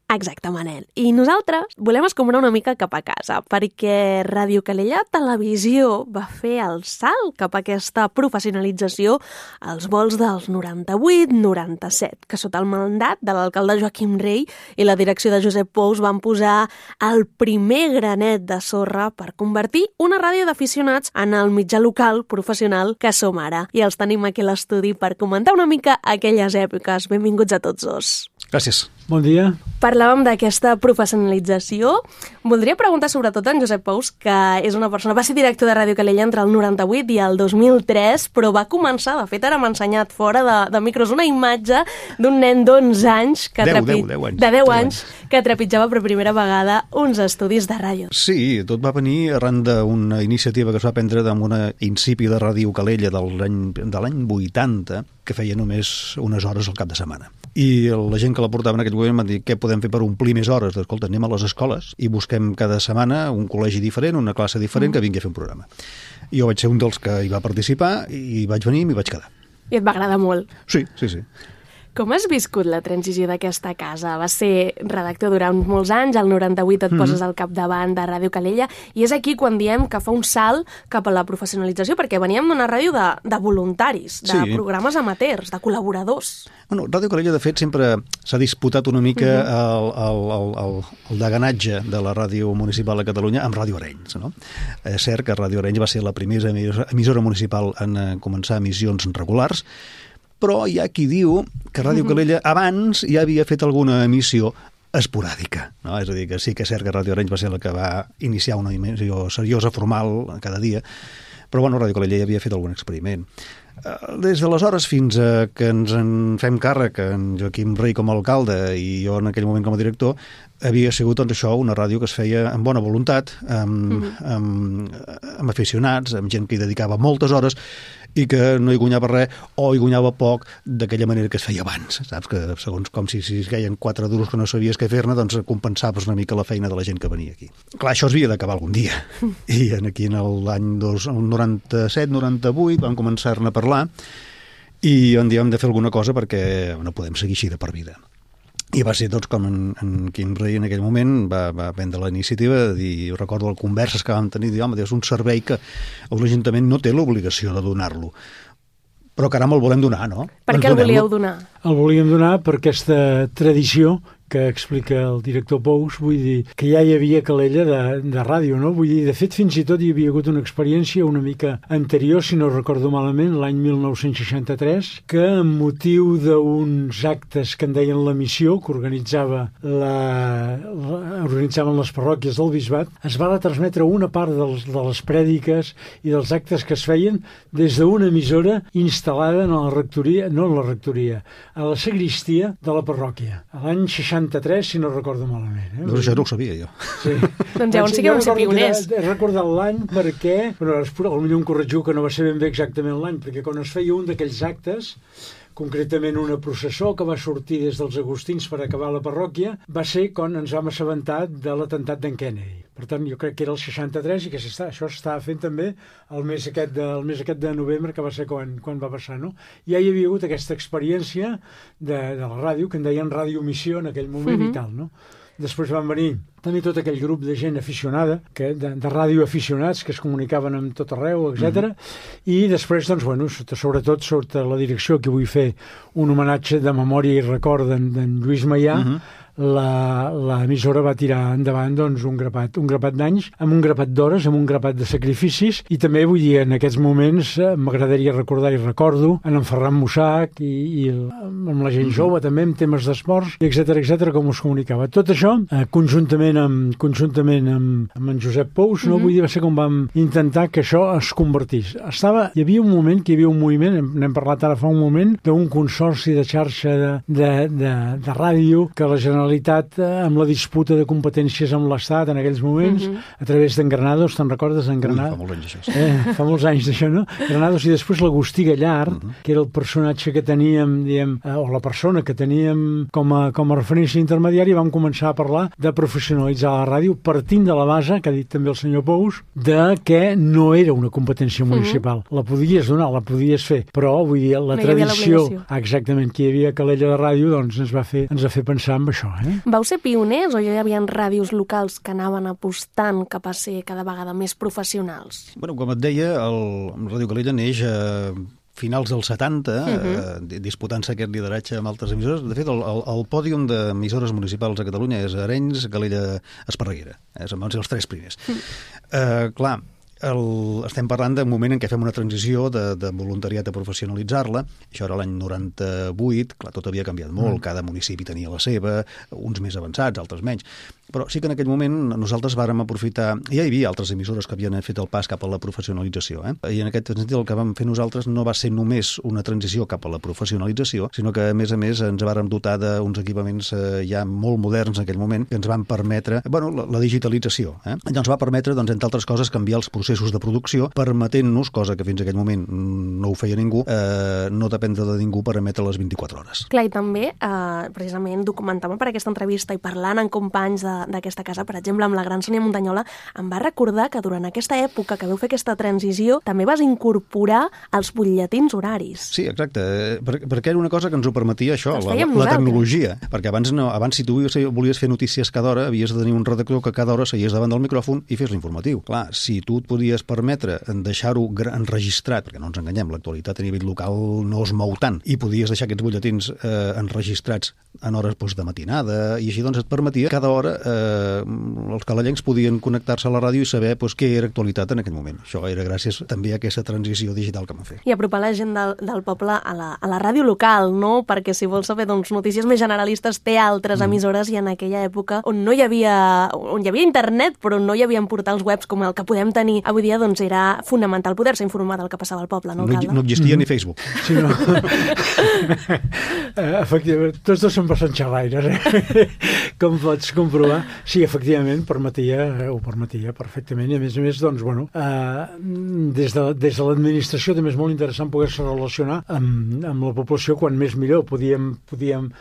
Exacte, Manel. I nosaltres volem escombrar una mica cap a casa, perquè Ràdio Calella Televisió va fer el salt cap a aquesta professionalització als vols dels 98-97, que sota el mandat de l'alcalde Joaquim Rey i la direcció de Josep Pous van posar el primer granet de sorra per convertir una ràdio d'aficionats en el mitjà local professional que som ara. I els tenim aquí a l'estudi per comentar una mica aquelles èpoques. Benvinguts a tots dos. Gràcies. Bon dia. Parlàvem d'aquesta professionalització. Voldria preguntar sobretot a en Josep Pous, que és una persona, va ser director de Ràdio Calella entre el 98 i el 2003, però va començar, de fet ara m'ha ensenyat fora de micros una imatge d'un nen d'11 anys que de 10 anys que trepitjava per primera vegada uns estudis de ràdio. Sí, tot va venir arran d'una iniciativa que es va prendre amb una incipient de Ràdio Calella de l'any 80, que feia només unes hores al cap de setmana. I la gent que la portava en aquell moment va dir què podem fer per omplir més hores? Escolta, anem a les escoles i busquem cada setmana un col·legi diferent, una classe diferent que vingui a fer un programa. I jo vaig ser un dels que hi va participar i vaig venir i m'hi vaig quedar. I et va agradar molt. Sí. Com has viscut la transició d'aquesta casa? Vas ser redactor durant molts anys, al 98 et poses al capdavant de Ràdio Calella, i és aquí quan diem que fa un salt cap a la professionalització, perquè veníem d'una ràdio de voluntaris, de programes amateurs, de col·laboradors. Bueno, Ràdio Calella, de fet, sempre s'ha disputat una mica el deganatge de la ràdio municipal a Catalunya amb Ràdio Arenys, no? És cert que Ràdio Arenys va ser la primera emissora municipal en començar emissions regulars, però hi ha qui diu que Ràdio Calella abans ja havia fet alguna emissió esporàdica, no? És a dir, que sí que és cert que Ràdio Arenys va ser la que va iniciar una emissió seriosa, formal, cada dia, però bueno, Ràdio Calella ja havia fet algun experiment. Des d'aleshores fins que ens en fem càrrec, en Joaquim Rey com a alcalde i jo en aquell moment com a director, havia sigut doncs, això, una ràdio que es feia amb bona voluntat, amb aficionats, amb gent que hi dedicava moltes hores i que no hi guanyava res o hi guanyava poc d'aquella manera que es feia abans, saps? Que segons com si es queien 4 duros que no sabies què fer-ne, doncs compensaves una mica la feina de la gent que venia aquí. Clar, això es havia d'acabar algun dia. I aquí en l'any 97-98 vam començar-ne a parlar i on hem de fer alguna cosa perquè no podem seguir així de per vida. I va ser doncs com en Quim Rey en aquell moment va prendre la iniciativa de dir, recordo les converses que vam tenir, dir, home, és un servei que l'Ajuntament no té l'obligació de donar-lo, però caram, el volem donar, no? Per què el volíeu donar? El volíem donar per aquesta tradició que explica el director Pous, vull dir, que ja hi havia Calella de ràdio, no? Vull dir, de fet, fins i tot hi havia hagut una experiència una mica anterior, si no recordo malament, l'any 1963, que amb motiu d'uns actes que en deien la missió, que organitzaven les parròquies del Bisbat, es va retransmetre una part de les prèdiques i dels actes que es feien des d'una emissora instal·lada en la rectoria, no en la rectoria, a la sagristia de la parròquia, a l'any 63, si no recordo malament. Doncs això no ho sabia jo. Sí. Doncs llavors sí que vam ser pioners. He recordat l'any perquè, potser em corregiu que no va ser ben bé exactament l'any, perquè quan es feia un d'aquells actes, concretament una processó que va sortir des dels Agustins per acabar la parròquia, va ser quan ens vam assabentar de l'atemptat d'en Kennedy. Per tant, jo crec que era el 63 i que això s'estava fent també el mes aquest de novembre, que va ser quan va passar, no? Ja hi havia hagut aquesta experiència de la ràdio, que en deien radiomissió en aquell moment i tal, no? Després van venir també tot aquell grup de gent aficionada, de radioaficionats que es comunicaven amb tot arreu, etc. I després, doncs, bueno, sobretot sota la direcció que vull fer un homenatge de memòria i record d'en Lluís Maià, l'emissora va tirar endavant doncs, un grapat d'anys, amb un grapat d'hores, amb un grapat de sacrificis, i també vull dir, en aquests moments m'agradaria recordar i recordo en Ferran Mussac i amb la gent jove també, amb temes d'esports, etc, com us comunicava. Tot això, conjuntament amb en Josep Pous, no? Vull dir, va ser com vam intentar que això es convertís. Hi havia un moment, que hi havia un moviment, n'hem parlat ara fa un moment, d'un consorci de xarxa de ràdio que la Generalitat, amb la disputa de competències amb l'Estat en aquells moments, a través d'en Granados, te'n recordes d'en Granados? Fa molts anys això. Fa molts anys d'això, no? Granados i després l'Agustí Gallard, que era el personatge que teníem, diguem, o la persona que teníem com a referència intermediària, vam començar a parlar de professionalitzar la ràdio partint de la base, que ha dit també el senyor Pous, de que no era una competència municipal. La podies donar, la podies fer, però, vull dir, la tradició exactament que hi havia a Calella de Ràdio, doncs ens va fer pensar en això, Vau ser pioners o ja hi havia ràdios locals que anaven apostant cap a ser cada vegada més professionals? Bueno, com et deia, el Ràdio Calella neix finals dels 70, disputant-se aquest lideratge amb altres emissores. De fet, el pòdium d'emissores municipals a Catalunya és Arenys, Calella, Esparreguera. Van ser els 3 primers. Clar, estem parlant d'un moment en què fem una transició de voluntariat a professionalitzar-la. Això era l'any 98, clar, tot havia canviat molt, cada municipi tenia la seva, uns més avançats, altres menys. Però sí que en aquell moment nosaltres vàrem aprofitar... Ja hi havia altres emissores que havien fet el pas cap a la professionalització, I en aquest sentit el que vam fer nosaltres no va ser només una transició cap a la professionalització, sinó que, a més, ens vàrem dotar d'uns equipaments ja molt moderns en aquell moment, que ens van permetre, la digitalització. Allò ens va permetre, doncs, entre altres coses, canviar els processos de producció, permetent-nos, cosa que fins a aquell moment no ho feia ningú, no dependre de ningú per emetre les 24 hores. Clar, i també, precisament, documentant per aquesta entrevista i parlant amb companys d'aquesta casa, per exemple, amb la gran Sònia Muntanyola, em va recordar que durant aquesta època que vau fer aquesta transició també vas incorporar els butlletins horaris. Sí, exacte, perquè era una cosa que ens ho permetia això, la tecnologia, perquè abans si tu volies fer notícies cada hora, havies de tenir un redactor que cada hora seies davant del micròfon i fes l'informatiu. Clar, si tu et podies permetre deixar-ho enregistrat, perquè no ens enganyem, l'actualitat a nivell local no es mou tant, i podies deixar aquests butlletins enregistrats en hores de matinada, i així doncs et permetia cada hora els calellencs podien connectar-se a la ràdio i saber què era actualitat en aquell moment. Això era gràcies també a aquesta transició digital que vam fer. I apropar la gent del poble a la ràdio local, no? Perquè si vols saber notícies més generalistes té altres emissores, i en aquella època on hi havia internet però no hi havia portals webs com el que podem tenir avui dia, doncs era fonamental poder-se informar del que passava al poble, no, alcalde? No existia ni Facebook. Sí, no. Efectivament, tots dos són bastant xerraires, com pots comprovar. Sí, efectivament, ho permetia perfectament, i a més, doncs, des de l'administració també és molt interessant poder-se relacionar amb la població, quan més millor. Podíem,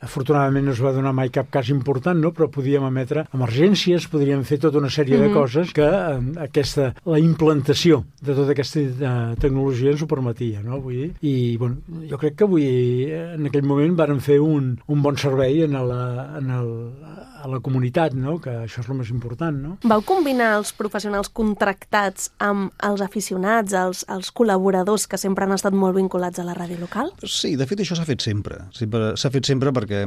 afortunadament no es va donar mai cap cas important, no? Però podíem emetre emergències, podríem fer tota una sèrie de coses que la implantació de tota aquesta tecnologia ens ho permetia, no? Vull dir, i jo crec que en aquell moment vàrem fer un bon servei a la comunitat, no? Que això és el més important, no? Vau combinar els professionals contractats amb els aficionats, els col·laboradors que sempre han estat molt vinculats a la ràdio local? Sí, de fet això s'ha fet sempre. S'ha fet sempre perquè,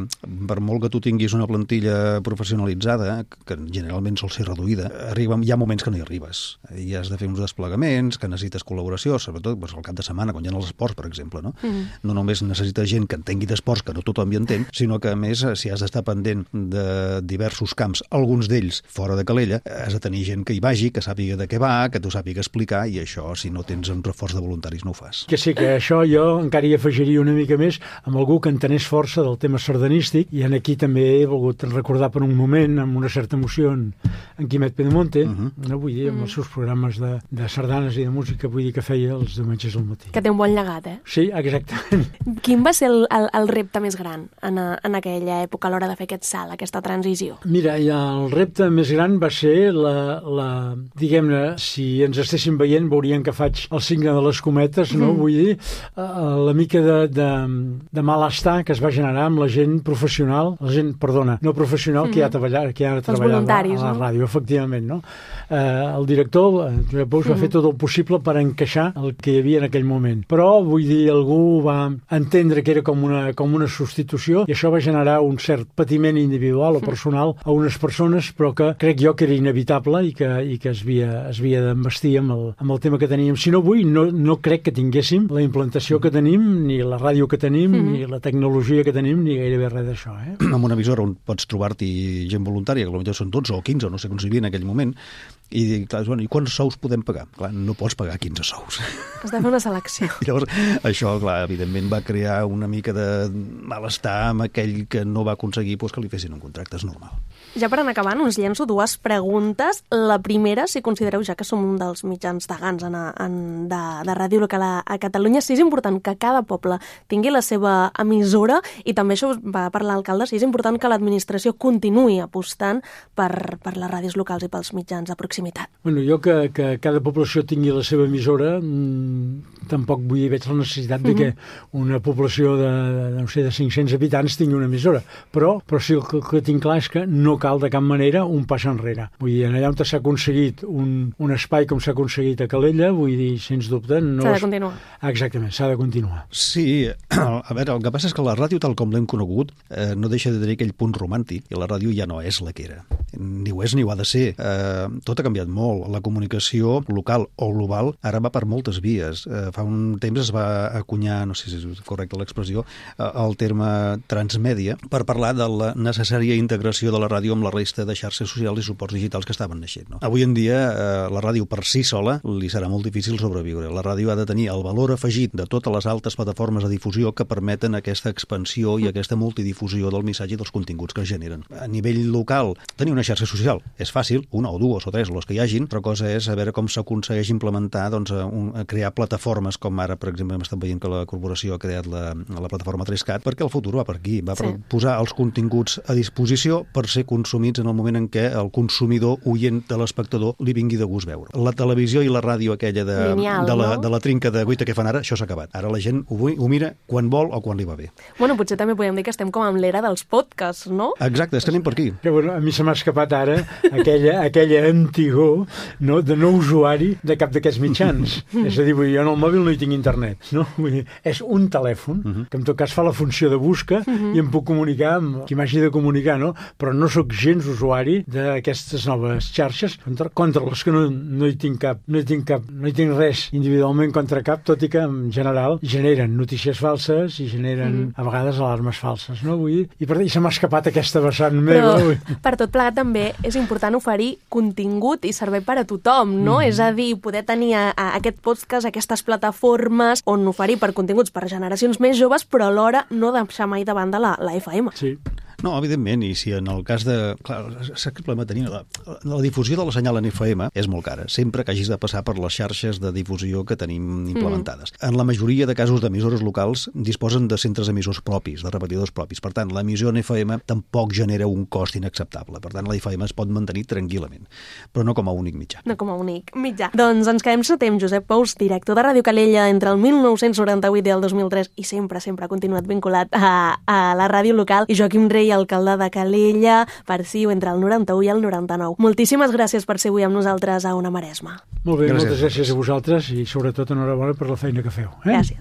per molt que tu tinguis una plantilla professionalitzada, que generalment sol ser reduïda, hi ha moments que no hi arribes. I has de fer uns desplegaments, que necessites col·laboració, sobretot al cap de setmana, quan hi ha els esports, per exemple, no? No només necessites gent que entengui d'esports, que no tothom hi entén, sinó que, a més, si has d'estar pendent de diversos camps, alguns d'ells fora de Calella, has de tenir gent que hi vagi, que sàpiga de què va, que t'ho sàpiga explicar, i això, si no tens un reforç de voluntaris, no ho fas. Que sí, que això jo encara hi afegiria una mica més amb algú que entenés força del tema sardanístic, i aquí també he volgut recordar per un moment, amb una certa emoció, en Quimet Pedemonte, no vull dir, amb els seus programes de sardanes i de música, vull dir que feia els diumenges al matí. Que té un bon llegat, Sí, exactament. Quin va ser el repte més gran en aquella època a l'hora de fer aquest salt, aquesta transició? Mira, el repte més gran va ser diguem-ne, si ens estéssim veient veurien que faig el signe de les cometes, no? Vull dir, la mica de malestar que es va generar amb la gent professional, no professional, que ja treballava a la ràdio, efectivament, no? El director, Josep Pous, va fer tot el possible per encaixar el que hi havia en aquell moment. Però, vull dir, algú va entendre que era com una substitució, i això va generar un cert patiment individual o personal a unes persones, però que crec jo que era inevitable i que es havia d'embestir amb el tema que teníem. Si no avui, no crec que tinguéssim la implantació que tenim, ni la ràdio que tenim, ni la tecnologia que tenim, ni gairebé res d'això. En una emissora on pots trobar-t'hi gent voluntària, que potser són 12 o 15, no sé com s'hi havia en aquell moment, i clar, i quants sous podem pagar? Clar, no pots pagar 15 sous. Has de fer una selecció. I llavors, això, clar, evidentment va crear una mica de malestar amb aquell que no va aconseguir que li fessin un contracte, és normal. Ja per anar acabant, us llenço dues preguntes. La primera, si considereu, ja que som un dels mitjans degans de ràdio local a Catalunya, si és important que cada poble tingui la seva emissora, i també això va parlar l'alcalde, si és important que l'administració continuï apostant per les ràdios locals i pels mitjans de proximitat. Bueno, jo que cada població tingui la seva emissora, tampoc veig la necessitat de que una població de 500 habitants tingui una emissora, però sí el que tinc clar és que no cal de cap manera un pas enrere. Vull dir, allà on s'ha aconseguit un espai com s'ha aconseguit a Calella, vull dir, sens dubte... No s'ha de continuar. Exactament, s'ha de continuar. Sí, a veure, el que passa és que la ràdio, tal com l'hem conegut, no deixa de tenir aquell punt romàntic, i la ràdio ja no és la que era. Ni ho és ni ho ha de ser. Tot ha canviat molt. La comunicació local o global ara va per moltes vies. Fa un temps es va acunyar, no sé si és correcta l'expressió, el terme transmèdia per parlar de la necessària integració de la ràdio amb la resta de xarxes socials i suports digitals que estaven naixent. No? Avui en dia la ràdio per si sola li serà molt difícil sobreviure. La ràdio ha de tenir el valor afegit de totes les altres plataformes de difusió que permeten aquesta expansió i aquesta multidifusió del missatge i dels continguts que es generen. A nivell local, tenir una xarxa social és fàcil, una o dues o tres, les que hi hagin, però cosa és a veure com s'aconsegueix implementar, doncs, crear plataformes com ara, per exemple, hem estat veient que la corporació ha creat la plataforma 3CAT, perquè el futur va per aquí, va per posar els continguts a disposició per ser consumits en el moment en què el consumidor, oient de l'espectador, li vingui de gust veure. La televisió i la ràdio aquella de la trinca de guita que fan ara, això s'ha acabat. Ara la gent ho mira quan vol o quan li va bé. Bueno, potser també podem dir que estem com amb l'era dels podcasts, no? Exacte, és que anem per aquí. Que, bueno, a mi se m'ha escapat ara aquella antigor, no, de no usuari de cap d'aquests mitjans. És a dir, jo en el mòbil no hi tinc internet, no? Vull dir, és un telèfon que en tot cas fa la funció de busca i em puc comunicar amb qui m'hagi de comunicar, no? Però no sóc gens usuari d'aquestes noves xarxes contra les que no hi tinc cap, no hi tinc res individualment contra cap, tot i que en general generen notícies falses i generen a vegades alarmes falses, no? Vull dir, i se m'ha escapat aquesta vessant meva. Però per tot plegat també és important oferir contingut i servei per a tothom, no? És a dir, poder tenir aquest podcast, aquestes plataformes on oferir per continguts per generacions més joves, però alhora no deixar mai de banda la FM. Sí. No, evidentment, i si en el cas de... Clar, saps que el problema tenir? La difusió de la senyal en FM és molt cara, sempre que hagis de passar per les xarxes de difusió que tenim implementades. En la majoria de casos d'emissores locals disposen de centres emissors propis, de repetidors propis. Per tant, l'emissió en FM tampoc genera un cost inacceptable. Per tant, la FM es pot mantenir tranquil·lament, però no com a únic mitjà. No com a únic mitjà. Doncs ens quedem sota amb Josep Pous, director de Ràdio Calella entre el 1998 i el 2003 i sempre ha continuat vinculat a la ràdio local, i Joaquim Rei, alcalde de Calella, per CiU entre el 91 i el 99. Moltíssimes gràcies per ser avui amb nosaltres a Ona Maresma. Molt bé, moltes gràcies a vosaltres i sobretot enhorabona per la feina que feu. Gràcies.